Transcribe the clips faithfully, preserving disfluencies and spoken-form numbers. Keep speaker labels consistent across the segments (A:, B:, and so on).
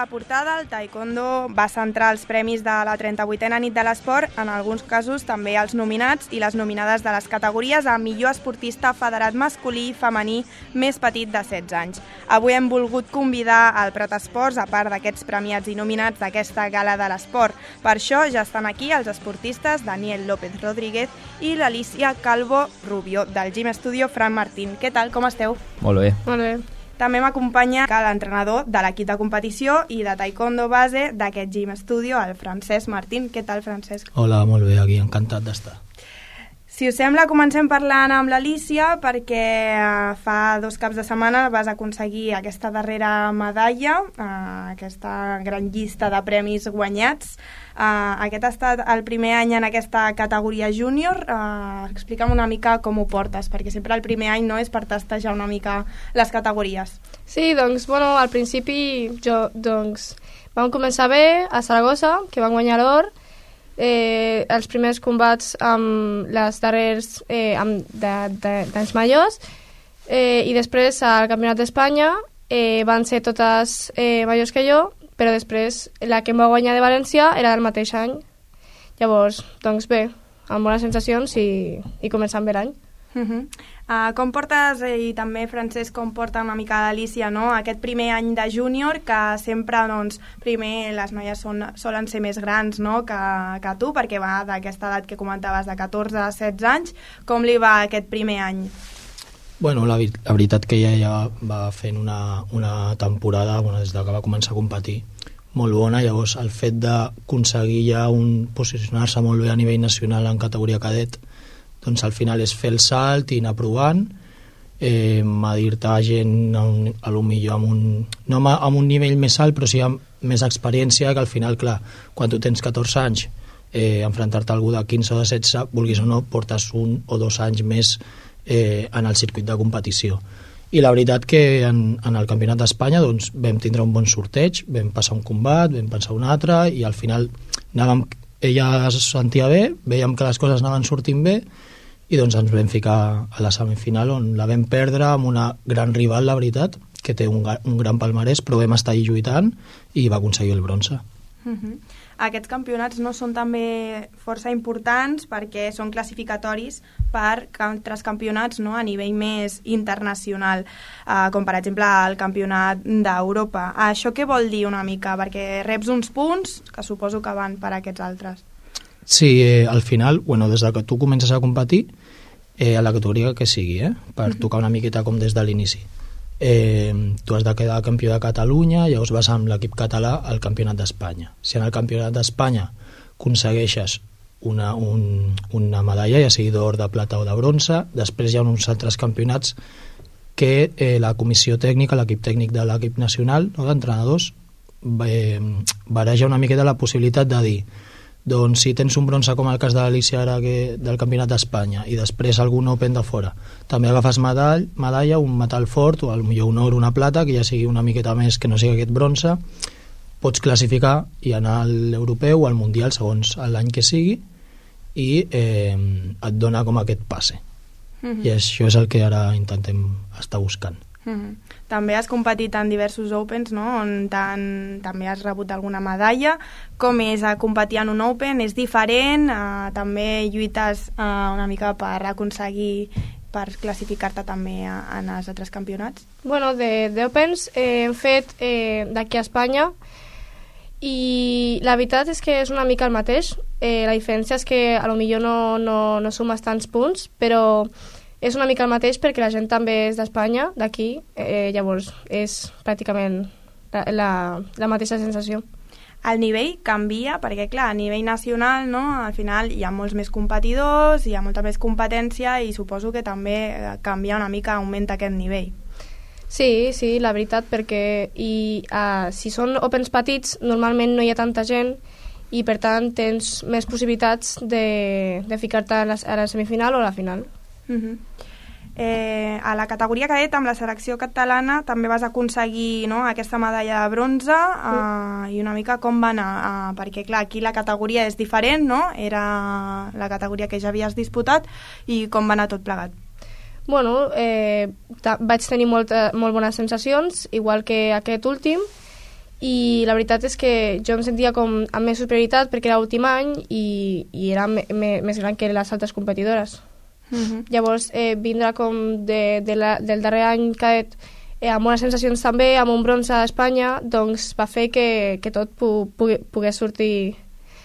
A: la portada, el taekwondo va centrar els premis de la trenta-vuitena nit de l'esport, en alguns casos també els nominats i les nominades de les categories a millor esportista federat masculí i femení més petit de setze anys. Avui hem volgut convidar al Prat Esports, a part d'aquests premiats i nominats d'aquesta gala de l'esport. Per això ja estan aquí els esportistes Daniel López Rodríguez i l'Alicia Calvo Rubio, del Gym Studio Fran Martín. Què tal, com esteu?
B: Molt bé.
C: Molt bé.
A: També m'acompanya l'entrenador de l'equip de competició i de taekwondo base d'aquest Gym Studio, el Francesc Martín. Què tal, Francesc?
D: Hola, molt bé, aquí, encantat d'estar.
A: Si us sembla, comencem parlant amb l'Alicia, perquè fa dos caps de setmana vas aconseguir aquesta darrera medalla, aquesta gran llista de premis guanyats. Aquest ha estat el primer any en aquesta categoria júnior. Explica'm una mica com ho portes, perquè sempre el primer any no és per testejar una mica les categories.
C: Sí, doncs, bueno, al principi jo, doncs, vam començar bé a Saragossa, que vam guanyar l'or. Eh, els primers combats amb les darrers eh, amb d'anys majors eh, i després al Campionat d'Espanya eh, van ser totes eh, majors que jo, però després la que em va guanyar de València era del mateix any. Llavors, doncs bé, amb bones sensacions i, i començant bé l'any.
A: Uh-huh. Uh, com portes, eh, i també Francesc, com porta una mica l'Alicia, no? Aquest primer any de júnior, que sempre, doncs, primer les noies són, solen ser més grans, no?, que, que tu, perquè va d'aquesta edat que comentaves de catorze a setze anys. Com li va aquest primer any?
D: Bueno, la, la veritat que ella ja va fent una, una temporada, bueno, des de que va començar a competir, molt bona. Llavors el fet d'aconseguir ja un, posicionar-se molt bé a nivell nacional en categoria cadet, doncs al final és fer el salt i anar provant, eh, medir-te a gent a, un, a lo millor amb un, no amb un nivell més alt, però sí amb més experiència, que al final, clar, quan tu tens catorze anys, eh, enfrontar-te a algú de quinze o de setze, vulguis o no, portes un o dos anys més eh, en el circuit de competició. I la veritat que en, en el Campionat d'Espanya doncs, vam tindre un bon sorteig, vam passar un combat, vam passar un altre, i al final anàvem, ella es sentia bé, veiem que les coses anaven sortint bé, i doncs ens vam ficar a la semifinal, on la vam perdre amb una gran rival, la veritat, que té un, un gran palmarès, però vam estar allà lluitant i va aconseguir el bronze.
A: Uh-huh. Aquests campionats no són també força importants perquè són classificatoris per altres campionats, no?, a nivell més internacional, uh, com per exemple el campionat d'Europa. Això què vol dir una mica? Perquè reps uns punts que suposo que van per aquests altres.
D: Sí, eh, al final, bueno, des de que tu comences a competir, eh, a la categoria que sigui, eh, per uh-huh. tocar una miqueta com des de l'inici. Eh, tu has de quedar campió de Catalunya, llavors vas amb l'equip català al Campionat d'Espanya. Si en el Campionat d'Espanya aconsegueixes una, un, una medalla, ja sigui d'or, de plata o de bronze, després hi ha uns altres campionats que eh, la comissió tècnica, l'equip tècnic de l'equip nacional, no, d'entrenadors, eh, bareja una miqueta la possibilitat de dir, doncs si tens un bronze com el cas de l'Alicia ara que, del Campionat d'Espanya, i després algun Open de fora, també agafes medall, medalla, un metall fort, o potser un or, una plata, que ja sigui una miqueta més que no sigui aquest bronze, pots classificar i anar a l'europeu o al mundial segons l'any que sigui, i eh, et dona com aquest passe. Uh-huh. I això és el que ara intentem estar buscant.
A: Uh-huh. També has competit en diversos Opens, no?, on tan, també has rebut alguna medalla. Com és a competir en un Open? És diferent? Uh, també lluites uh, una mica per aconseguir, per classificar-te també a, en els altres campionats?
C: Bueno, de, de Opens eh, hem fet eh, d'aquí a Espanya, i la veritat és que és una mica el mateix. Eh, la diferència és que a lo millor no, no, no sumes tants punts, però és una mica el mateix perquè la gent també és d'Espanya, d'aquí, eh, llavors és pràcticament la, la, la mateixa sensació.
A: El nivell canvia, perquè clar, a nivell nacional, no?, al final hi ha molts més competidors, hi ha molta més competència i suposo que també canvia una mica, augmenta aquest nivell.
C: Sí, sí, la veritat, perquè i, uh, si són Opens petits normalment no hi ha tanta gent i per tant tens més possibilitats de, de ficar-te a la, a la semifinal o a la final.
A: Uh-huh. eh, a la categoria cadet amb la selecció catalana també vas aconseguir, no?, aquesta medalla de bronze, uh, uh. i una mica com va anar, uh, perquè clar, aquí la categoria és diferent, no?, era la categoria que ja havies disputat, i com va anar tot plegat?
C: Bueno, eh, vaig tenir molta, molt bones sensacions, igual que aquest últim, i la veritat és que jo em sentia com amb més superioritat perquè era l'últim any i, i era me, me, més gran que les altres competidores. Uh-huh. Llavors, eh, vindre com de, de la, del darrer any cadet eh, amb unes sensacions també, amb un bronze a Espanya, doncs va fer que, que tot pu, pu, pogués sortir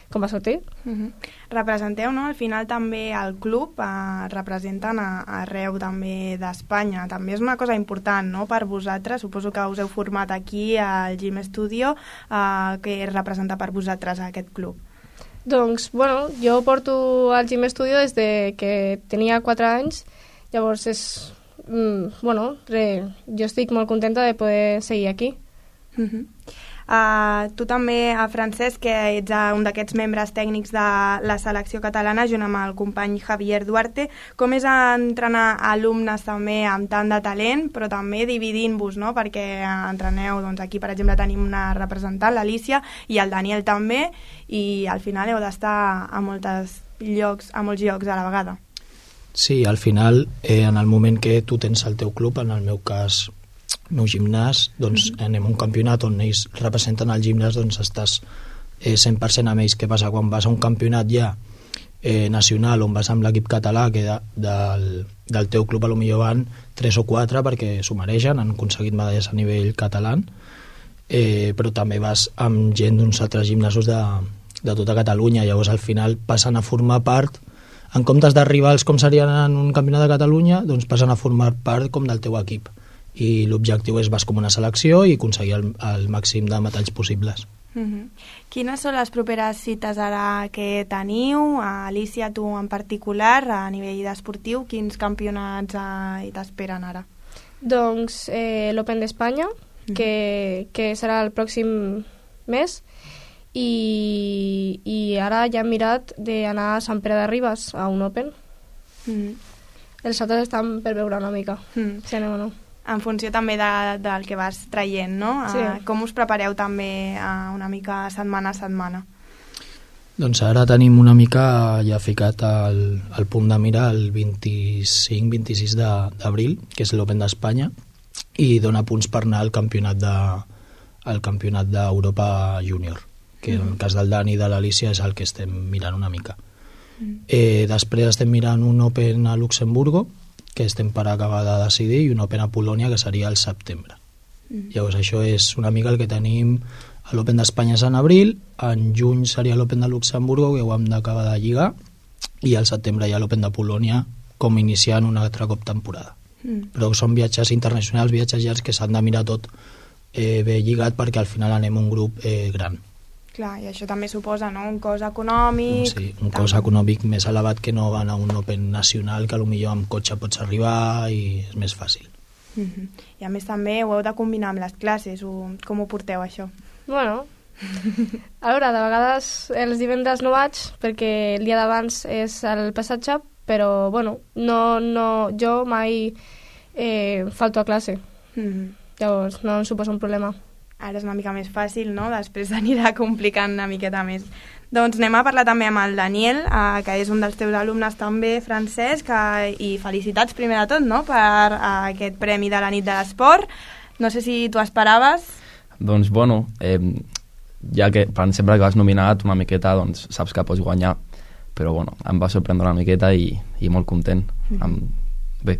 C: com va sortir.
A: Uh-huh. Representeu, no? Al final també el club eh, representen a, arreu també d'Espanya. També és una cosa important, no?, per vosaltres. Suposo que us heu format aquí al Gym Studio, eh, que és representar per vosaltres aquest club.
C: Doncs, bueno, jo porto al Gym Studio des de que tenia quatre anys, llavors és... Mm, bueno, re, jo estic molt contenta de poder seguir aquí.
A: Uh-huh. Uh, tu també, uh, Francesc, que ets uh, un d'aquests membres tècnics de la selecció catalana, junt amb el company Javier Duarte. Com és entrenar alumnes també amb tant de talent, però també dividint-vos, no?, perquè uh, entreneu, doncs aquí per exemple tenim una representant, l'Alicia, i el Daniel també, i al final heu d'estar a, moltes llocs, a molts llocs a la vegada.
D: Sí, al final, eh, en el moment que tu tens el teu club, en el meu cas el meu gimnàs, doncs mm-hmm. anem a un campionat on ells representen el gimnàs, doncs estàs eh, cent per cent amb ells. Què passa? Quan vas a un campionat ja eh, nacional on vas amb l'equip català, que de, del, del teu club a lo millor van tres o quatre perquè s'ho mereixen, han aconseguit medalles a nivell català, eh, però també vas amb gent d'uns altres gimnasos de, de tota Catalunya. Llavors al final passen a formar part, en comptes d'arribar als com serien en un campionat de Catalunya, doncs passen a formar part com del teu equip, i l'objectiu és vas com una selecció i aconseguir el, el màxim de metalls possibles.
A: Uh-huh. Quines són les properes cites ara que teniu? Alicia, tu en particular, a nivell esportiu, quins campionats eh, t'esperen ara?
C: Doncs eh, l'Open d'Espanya, uh-huh. que, que serà el pròxim mes, i, i ara ja hem mirat d'anar a Sant Pere de Ribes a un Open. Uh-huh. Els altres estan per veure una mica, uh-huh. si anem o no.
A: En funció també de, del que vas traient, no?
C: Sí.
A: Uh, com us prepareu també uh, una mica setmana a setmana?
D: Doncs ara tenim una mica ja ficat al, al punt de mira el vint-i-cinc vint-i-sis d'abril, que és l'Open d'Espanya, i dona punts per anar al campionat de, al campionat d'Europa Júnior, que mm. en el cas del Dani i de l'Alicia és el que estem mirant una mica. Mm. Eh, després estem mirant un Open a Luxemburgo, que estem per acabar de decidir, i un Open a Polònia, que seria al setembre. Mm. Llavors això és una mica el que tenim. L'Open d'Espanya és en abril, en juny seria l'Open de Luxemburgo, que ho hem d'acabar de lligar, i al setembre hi ha l'Open de Polònia, com iniciant un altre cop temporada. Mm. Però són viatges internacionals, viatges llargs que s'han de mirar tot eh, bé lligat, perquè al final anem un grup eh, gran.
A: Clar, i això també suposa, no?, un cost econòmic...
D: Sí, un cost econòmic més elevat que no van a un Open nacional, que potser amb cotxe pots arribar i és més fàcil.
A: Mm-hmm. I a més també ho heu de combinar amb les classes, o com ho porteu això?
C: Bueno, a veure, de vegades els divendres no vaig perquè el dia d'abans és el passatge, però bueno, no, no, jo mai eh, falto a classe, mm-hmm. llavors no em suposa un problema.
A: Ara és una mica més fàcil, no? Després anirà complicant una miqueta més. Doncs anem a parlar també amb el Daniel, eh, que és un dels teus alumnes també, Francesc, eh, i felicitats primer de tot, no?, per eh, aquest premi de la nit de l'esport. No sé si tu esperaves.
B: Doncs bueno, eh, ja que per sempre que vas nominat una miqueta, doncs saps que pots guanyar, però bueno, em va sorprendre una miqueta i, i molt content. Mm-hmm. Amb... Bé.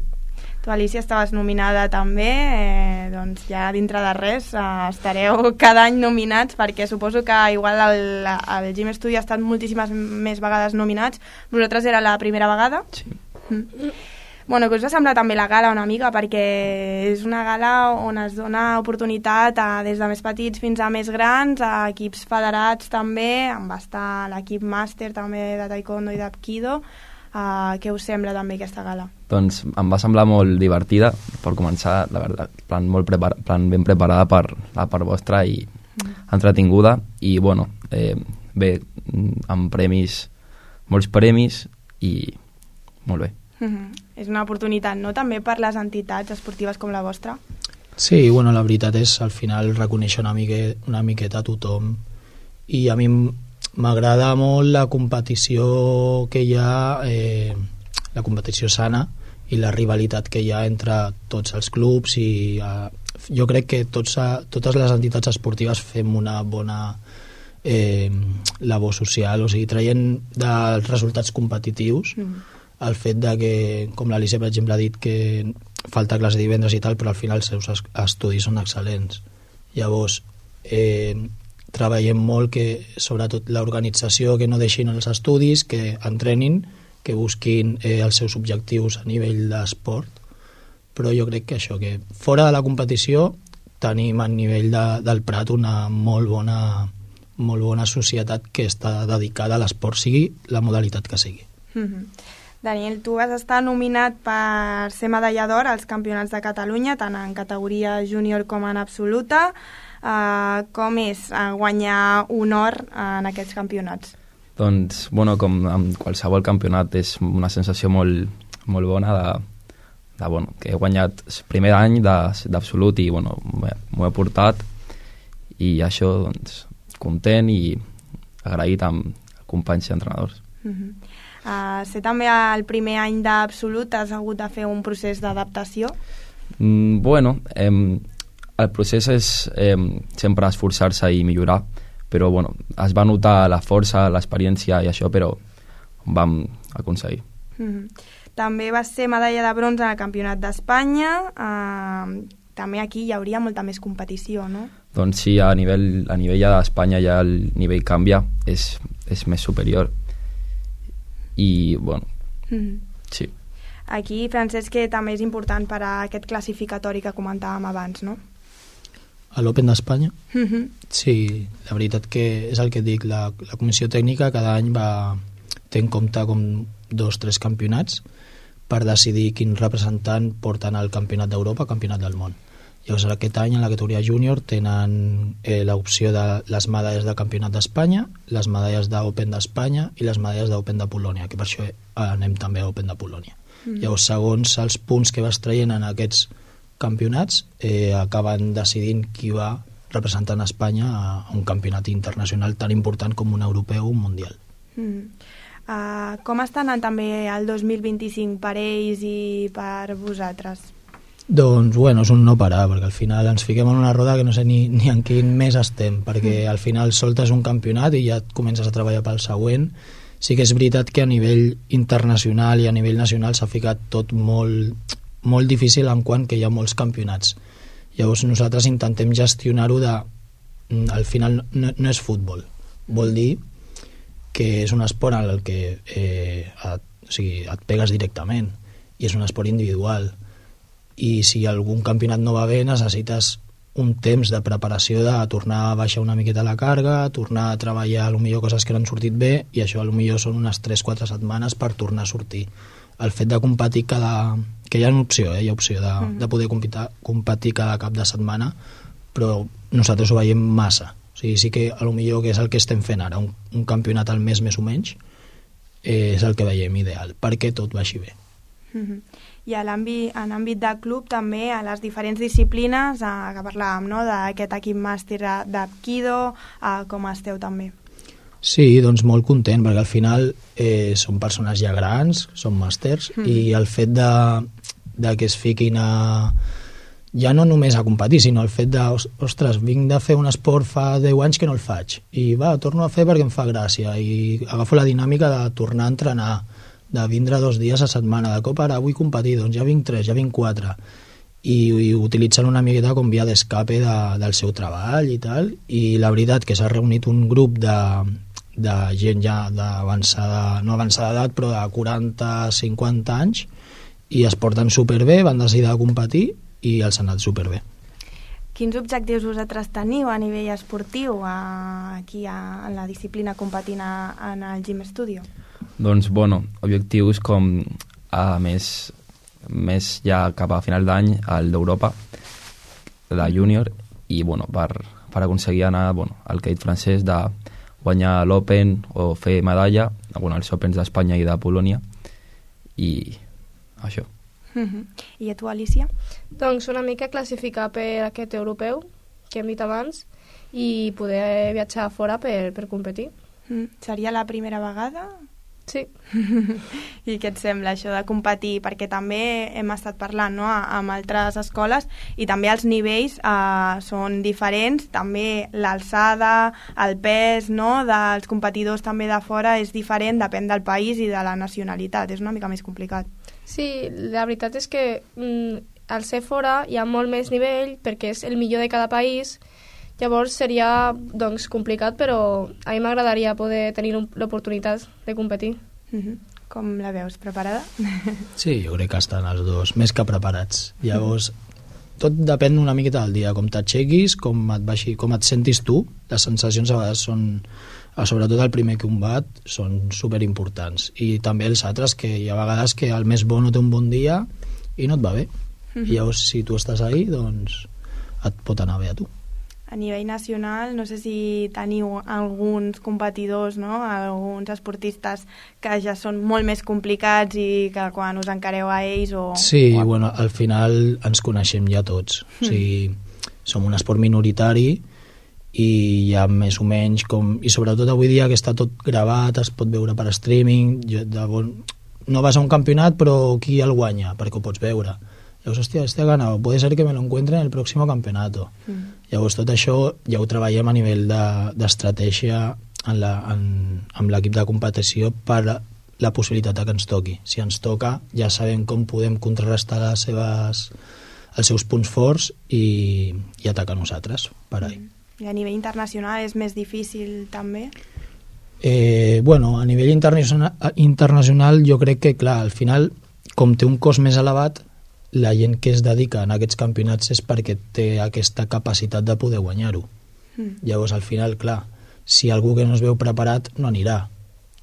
A: Tu, Alicia, estaves nominada també, eh, doncs ja dintre de res eh, estareu cada any nominats, perquè suposo que igual el, el Gym Studio ha estat moltíssimes més vegades nominats. Vosaltres era la primera vegada?
B: Sí.
A: Mm. Bueno, que us va semblar també la gala una mica, perquè és una gala on es dona oportunitat a, des de més petits fins a més grans, a equips federats també, on va estar l'equip màster també de taekwondo i d'apkido. Uh, què us sembla també aquesta gala?
B: Doncs em va semblar molt divertida, per començar, la veritat, plan, molt prepar plan ben preparada per la part vostra i mm. entretinguda, i bueno, eh, bé, amb premis, molts premis i molt bé.
A: Mm-hmm. És una oportunitat, no?, també per les entitats esportives com la vostra?
D: Sí, bueno, la veritat és al final reconèixer una, mique, una miqueta a tothom, i a mi m'agrada molt la competició que hi ha, eh, la competició sana i la rivalitat que hi ha entre tots els clubs, i eh, jo crec que tots, totes les entitats esportives fem una bona eh, labor social, o sigui, traient dels resultats competitius mm. el fet de que, com l'Alicia per exemple ha dit que falta classe divendres i tal, però al final els seus estudis són excel·lents. Llavors eh, treballem molt que, sobretot l'organització, que no deixin els estudis, que entrenin, que busquin eh, els seus objectius a nivell d'esport, però jo crec que això, que fora de la competició tenim a nivell de, del Prat una molt bona, molt bona societat que està dedicada a l'esport, sigui la modalitat que sigui.
A: Mm-hmm. Daniel, tu vas estar nominat per ser medalla d'or als Campionats de Catalunya, tant en categoria júnior com en absoluta. Uh, com és uh, guanyar un or en aquests campionats?
B: Doncs, bueno, com en qualsevol campionat, és una sensació molt, molt bona de, de, bueno, que he guanyat el primer any d'absolut i, bueno, m'ho he portat i això, doncs, content i agraït amb companys i entrenadors.
A: Uh-huh. Uh, ser també el primer any d'absolut, has hagut de fer un procés d'adaptació?
B: Mm, bueno, eh, el procés és eh, sempre esforçar-se i millorar, però bueno, es va notar la força, l'experiència i això, però ho vam aconseguir.
A: Mm-hmm. També vas ser medalla de bronze al Campionat d'Espanya, eh, també aquí hi hauria molta més competició, no?
B: Doncs sí, a nivell, a nivell ja d'Espanya ja el nivell canvia, és, és més superior. I, bueno, mm-hmm. sí.
A: Aquí, Francesc, que també és important per a aquest classificatori que comentàvem abans, no?
D: A l'Open d'Espanya?
A: Mm-hmm.
D: Sí, la veritat que és el que dic, la, la comissió tècnica cada any va té en compte com dos o tres campionats per decidir quin representant porten al campionat d'Europa, campionat del món. Llavors aquest any en la categoria júnior tenen eh, l'opció de les medalles del campionat d'Espanya, les medalles d'Open d'Espanya i les medalles d'Open de Polònia, que per això anem també a Open de Polònia. Mm. Llavors, segons els punts que vas traient en aquests campionats, eh, acaben decidint qui va representant Espanya a un campionat internacional tan important com un europeu o un mundial.
A: Mm. Uh, com està anant també el dos mil vint-i-cinc per ells i per vosaltres?
D: Doncs, bueno, és un no parar, perquè al final ens fiquem en una roda que no sé ni, ni en quin mes estem, perquè al final soltes un campionat i ja et comences a treballar pel següent. Sí que és veritat que a nivell internacional i a nivell nacional s'ha ficat tot molt, molt difícil en quant que hi ha molts campionats. Llavors nosaltres intentem gestionar-ho de... Al final no, no és futbol, vol dir que és un esport en el que eh, et, o sigui, et pegues directament i és un esport individual. I si algun campionat no va bé necessites un temps de preparació de tornar a baixar una miqueta la càrrega, tornar a treballar potser coses que no han sortit bé, i això potser són unes tres o quatre setmanes per tornar a sortir. El fet de competir cada... que hi ha una opció, eh? Hi ha opció de, mm. de poder competir, competir cada cap de setmana, però nosaltres ho veiem massa. O sigui, sí que potser que és el que estem fent ara, un, un campionat al mes més o menys, eh, és el que veiem ideal, perquè tot vagi bé.
A: Mm-hmm. I a l'àmbit, en àmbit de club també, a les diferents disciplines eh, que parlàvem, no?, d'aquest equip màster d'Apkido, eh, com esteu també?
D: Sí, doncs molt content, perquè al final eh, són persones ja grans, són màsters, mm. i el fet de, de que es fiquin a... ja no només a competir, sinó el fet de, ostres, vinc de fer un esport fa deu anys que no el faig, i va, torno a fer perquè em fa gràcia, i agafo la dinàmica de tornar a entrenar, de vindre dos dies a setmana, de cop ara vull competir, doncs ja vinc tres, ja vinc quatre, i, i utilitzen una miqueta com via d'escape de, del seu treball i tal, i la veritat que s'ha reunit un grup de, de gent ja d'avançada, no avançada edat, però de quaranta a cinquanta anys, i es porten superbé, van decidir de competir i els ha anat superbé.
A: Quins objectius vosaltres teniu a nivell esportiu a, aquí a, en la disciplina competint a, en el Gym Studio?
B: Doncs, bueno, objectius com a més, més ja cap a final d'any al d'Europa, de júnior, i bueno, per, per aconseguir anar bueno, al Caït francès de guanyar l'Open o fer medalla, bueno, els Opens d'Espanya i de Polònia, i això.
A: Mm-hmm. I a tu, Alicia?
C: Doncs una mica classificar per aquest europeu que hem dit abans i poder viatjar fora per, per competir.
A: Mm. Seria la primera vegada?
C: Sí.
A: I què et sembla això de competir? Perquè també hem estat parlant, no?, amb altres escoles i també els nivells eh, són diferents, també l'alçada, el pes, no?, dels competidors també de fora és diferent, depèn del país i de la nacionalitat, és una mica més complicat.
C: Sí, la veritat és que mm, al ser fora hi ha molt més nivell perquè és el millor de cada país. Llavors seria doncs, complicat, però a mi m'agradaria poder tenir l'oportunitat de competir.
A: Mm-hmm. Com la veus? Preparada?
D: Sí, jo crec que estan els dos més que preparats. Llavors, tot depèn una miqueta del dia, com t'aixequis, com et baixi, com et sentis tu. Les sensacions a vegades són, sobretot el primer combat, són superimportants. I també els altres, que hi ha vegades que el més bo no té un bon dia i no et va bé. Mm-hmm. I llavors, si tu estàs ahí, doncs et pot anar bé a tu.
A: A nivell nacional, no sé si teniu alguns competidors, no?, alguns esportistes que ja són molt més complicats i que quan us encareu a ells o...
D: Sí,
A: o...
D: bueno, al final ens coneixem ja tots. Mm. O sigui, som un esport minoritari i hi ha més o menys com... I sobretot avui dia que està tot gravat, es pot veure per streaming, jo, de bon... no vas a un campionat però qui el guanya, perquè ho pots veure. Llavors, hòstia, este ha ganado, puede ser que me lo encuentre en el próximo campeonato. Mm. Llavors, tot això ja ho treballem a nivell d'estratègia de, en la, en, amb l'equip de competició per la possibilitat que ens toqui. Si ens toca, ja sabem com podem contrarrestar les seves, els seus punts forts i, i atacar nosaltres per ahí.
A: Mm. I a nivell internacional és més difícil també?
D: Eh, bueno, a nivell internacional, internacional jo crec que, clar, al final, com té un cost més elevat, la gent que es dedica a aquests campionats és perquè té aquesta capacitat de poder guanyar-ho. Mm. Llavors, al final, clar, si algú que no es veu preparat no anirà,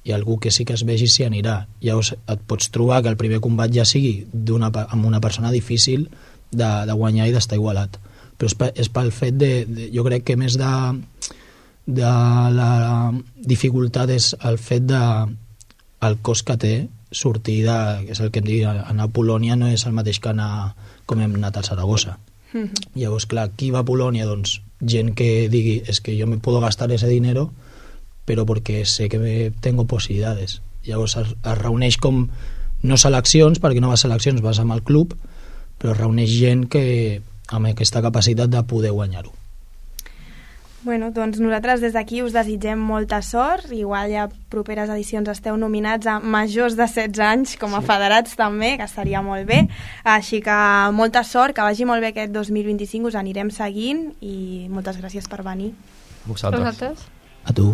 D: i algú que sí que es vegi sí anirà. Llavors et pots trobar que el primer combat ja sigui una, amb una persona difícil de, de guanyar i d'estar igualat. Però és, per, és pel fet de, de... Jo crec que més de, de la dificultat és el fet de el cost que té sortir de, que és el que em digui, anar a Polònia no és el mateix que anar com hem anat a Saragossa. Mm-hmm. Llavors, clar, qui va a Polònia? Doncs gent que digui, es que yo me puedo gastar ese dinero però perquè sé que me tengo possibilitats. Llavors es, es reuneix com, no seleccions, perquè no vas a seleccions, vas amb el club, però es reuneix gent que amb aquesta capacitat de poder guanyar-ho.
A: Bueno, doncs nosaltres des d'aquí us desitgem molta sort, igual ja properes edicions esteu nominats a majors de setze anys com a sí. federats també, que estaria molt bé, així que molta sort, que vagi molt bé aquest dos mil vint-i-cinc, us anirem seguint i moltes gràcies per venir.
B: Vosaltres.
C: Vosaltres.
D: A tu.